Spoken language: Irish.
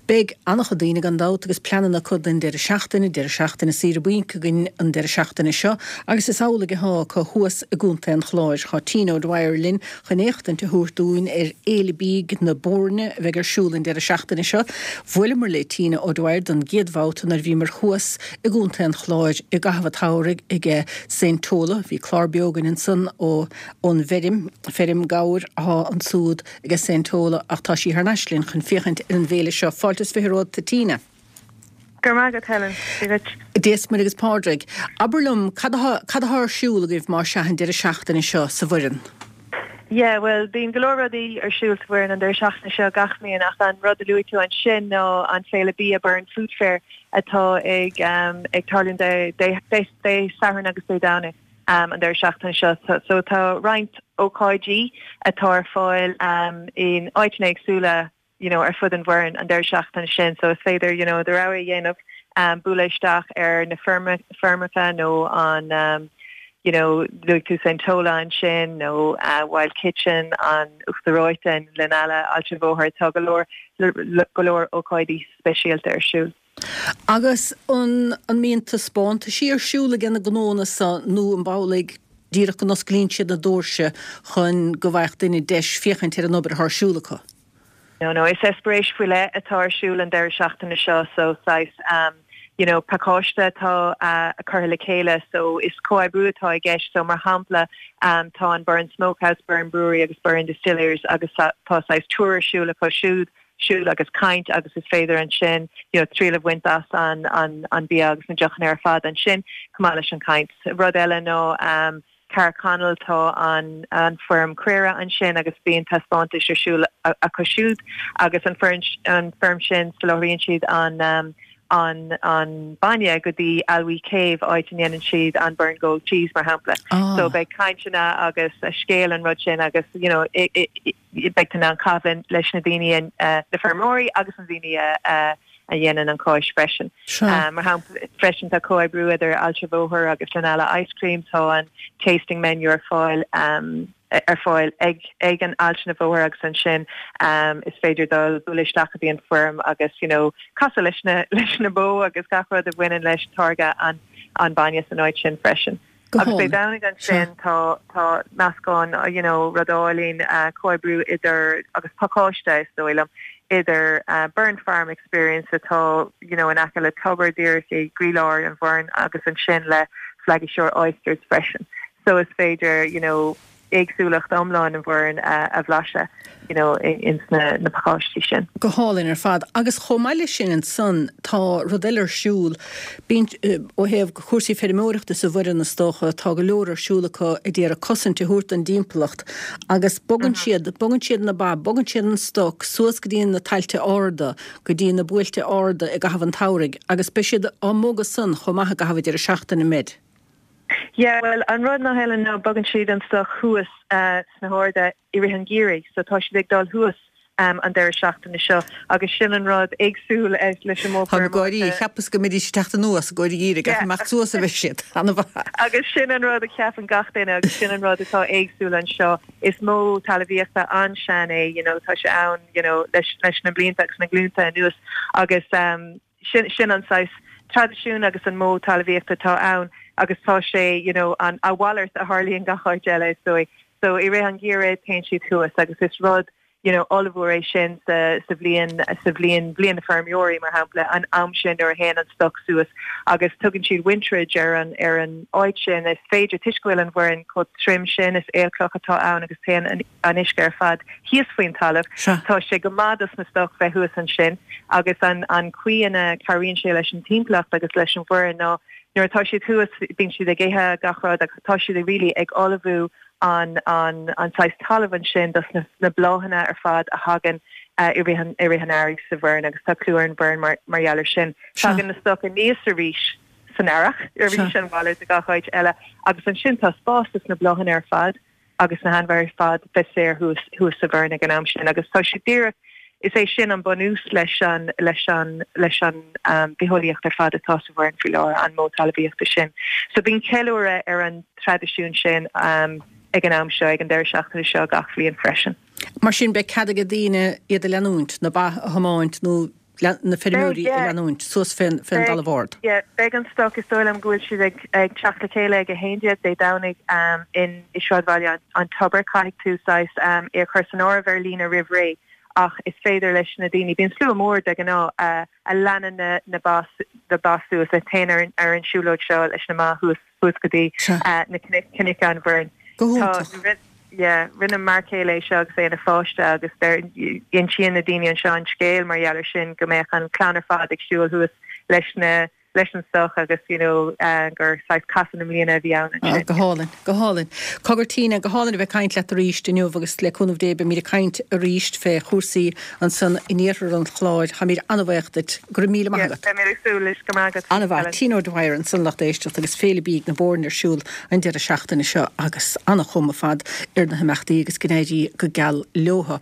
Beidh an-chuid daoine, gan dabht, agus pleananna acu don deireadh seachtaine, deireadh seachtaine saoire bainc againn an deireadh seachtaine seo, agus is amhlaidh atá acu thuas i gContae an Chláir. Tá Tina O'Dwyer linn chun éachtaint a thabhairt dúinn ar Fhéile Bídh na Boirne a bheidh ar siúl an deireadh seachtaine seo. Bhuaileamar le Tina O'Dwyer don gcéad bhabhta nuair a bhíomar thuas i gContae an Chláir i gcaitheamh an tsamhraidh ag Saint Tola. Bhí clár beo againn ansan ó ón bhfeirm, feirm gabhair athá ansúd ag Saint Tola ach tá sí thar n-ais linn chun féachaint ar an bhféile seo. Fáilte is 20 romhat, a Tina. Go raibh maith agat, Helen. Dia duit. Dia is Muire agus Pádraig. Abair liom, cad athá, cad athá ar siúl agaibh más ea an deireadh seachtaine seo sa Bhoireann? Yeah, bhuel, bíonn go leor rudaí ar siúl sa Bhoireann an deireadh seachtaine seo gach bliain ach an rud a luaigh tú ansin ná an Féile Bia Burren Food Fair atá ag, ag tarlúint Dé, Dé, Dé, Dé Sathairn agus Dé Domhnaigh. an deireadh seachtaine seo. So tá roinnt ócáidí atá ar fáil in áiteanna éagsúla you know ar fud an Bhoirinn an deireadh seachtaine sin. So is féidir you know do rogha a dhéanamh bualadh isteach ar na feirmeacha nó an you know luaigh tú Saint Tola ansin nó Wild Kitchen, an Uachtar Reoite in Gleanalla, Aillte an Bhóthair, tá go leor go leor ócáidí speisialta ar siúl. Agus an an mbíonn taispeántaisí ar siúl ag na gnóanna so nó an amhlaidh díreach go n-osclaíonn siad na doirse chun go bhfaigheadh duine deis féachaint ar an obair atá ar siúl acu? No, no, is eispéireas faoi leith atá ar siúl an deireadh seachtaine seo so saghas um you know pacáiste atá uh curtha le chéile so is comhoibriú atá i gceist so mar shampla um tá an Burren Smokehouse, Burren Brewery agus Burren Distillers agus tá saghas tour ar siúl acu siúd siúl agus caint agus is féidir ansin you know triail a bhaint as an an an bia agus na deochanna ar fad ansin chomh maith leis an caint. Rud eile ná um Carrickconnell tá an an feirm caora ansin agus bíonn taispeántais ar siúl acu siúd agus an feirm an feirm sin soláthraíonn siad an um an an bainne go dtí Aillwee Cave áit a ndéanann siad an Burren Gold Cheese mar shampla. Ah. So beidh cainteanna agus scéal an rud sin agus you know i i beidh tú in ann caitheamh leis na daoine, na feirmeoirí agus na daoine a dhéanann an cáis freisin. Mar shampla, freisin tá comhoibriú idir Aillte Bhóthair agus Gleanalla Ice Cream, tá an tasting menu ar fáil ar fáil ag ag an Aillte na Bhóthair agus ansin is féidir dul bualadh isteach go dtí an feirm agus you know casadh leis na leis na bó agus gach rud a bhaineann leis táirgeadh an an bainne san áit sin freisin. Go Agus Dé hálainn. Domhnaigh ansin tá tá meascán you know rud álainn comhoibriú idir agus pacáiste is dóigh liom idir Burren Farm Experience atá you know in aice le tobar díreach i gcroílár an Bhoirinn agus ansin le Flaggy Shore Oysters freisin. So is féidir you know éagsúlacht iomlán an Bhoirinn a bhlaiseadh you know ins na na pacáistí sin. Go hálainn ar fad. Agus chomh maith leis sin ansan tá rud eile ar siúl, bíonn, ó thaobh cúrsaí feirmeoireachta sa Bhoireann is dócha, tá go leor ar siúl acu a d'iarraidh cosaint a thabhairt don dtimpeallacht agus bogann siad, bogann siad na ba, bogann siad an stoc suas go dtí na tailte arda, go dtí na buailte arda i gcaitheamh an tsamhraidh agus beidh siad á mbogadh san chomh maith i gcaitheamh an deireadh seachtaine, an mbeidh? Yeah, bhuel, an rud ná Helen ná bogann siad an stoc thuas sna harda i rith an gheimhridh, so tá siad ag dul thuas an deireadh seachtaine seo agus sin an rud éagsúil leis an modh Táim ag gáirí, cheapas go mbeidís ag teacht anuas i gcomhair an gheimhridh ach imeacht suas a bheidh siad. Ana-mhaith. Agus sin an rud a cheapann gach duine agus sin an rud atá éagsúil anseo. Is modh talmhaíochta an-sean é, you know, tá sé ann, you know, leis leis na blianta agus na glúnta anuas agus Sin, sin an saghas traidisiún agus an modh talmhaíochta atá ann agus tá sé, you know, an, a mhalairt a tharlaíonn gach áit eile is dóigh. So i rith an gheimhridh téann siad thuas agus is rud, you know, ollmhór é sin sa, sa bhliain, sa bhliain, bliain na feirmeoirí mar shampla, an am sin nuair a théann an stoc suas agus tugann siad winterage ar an, ar an áit sin. Is féidir, toisc go bhfuil an Bhoireann chomh tirim sin, is aolchloch atá ann agus téann an, an uisce ar fad thíos faoin talamh. Tá sé go maith dos na stoc bheith thuas ansin agus an an chaoi ina cabhraíonn sé leis an timpeallacht agus leis an Bhoireann ná nuair atá siad thuas bíonn siad ag ithe gach rud agus tá siad really ag ullmhú an an an saghas talamh ansin dos na na bláthanna ar fad a thagann i rith an i rith an earraigh sa Bhoireann agus tá clú ar an Bhoireann mar mar gheall ar sin. Tagann na stoc aníos arís san earrach arís an mhalairt de gach áit eile agus ansin tá spás dos na bláthanna ar fad agus na hainmhithe ar fad bheith saor thuas thuas sa Bhoireann ag an am sin agus tá sé díreach, is é sin an bunús leis an leis an leis an bitheolaíocht ar fad atá sa Bhoireann faoi láthair, an modh talmhaíochta sin. So bíonn ceiliúradh ar an traidisiún sin ag an am seo, ag an deireadh seachtaine seo gach bhliain freisin. Mar sin beidh cead ag daoine iad a leanúint, na ba a thiomáint nó. Na feirmeoirí a leanúint suas fén dtalamh ard. Yeah, beidh an stoc, is dóigh liom go bhfuil siad ag ag teacht le chéile ag 11 Dé Domhnaigh in i sráidbhaile an Tobair. Caithfidh tú saghas é a chur san áireamh ar líne roimh ré ach is féidir leis na daoine, bíonn slua mór de ghnáth, a leanann na na ba na ba suas, a théann ar ar an siúlóid seo leis na mba thuas thuas go dtí na cnoic an Bhoirn. Go hiontach. Yeah, rinne m'fhear céile é seo agus é ina pháiste agus deir, insíonn na daoine anseo an scéal mar gheall ar sin, go mbeadh an clann ar fad ag siúl thuas leis na, leis an stoc agus you know gur saghas casadh na mbliana a bhí ann ansin. Go hálainn, go hálainn. Cogar Tina, go hálainn a bheith ag caint leat arís inniu agus le cúnamh Dé beimid ag caint arís fé chúrsaí ansan in iarthar an Chláir. Táimid an-bhaoch duit. Go raibh míle maith agat. Beimid ag súil leis. Go raibh maith agat. An-mhaith. Tina O'Dwyer ansan lucht éisteachta agus Féile Bídh na Boirne ar siúl an deireadh seachtaine seo agus an-chuma fad ar na himeachtaí agus go n-éirí go geal leothu.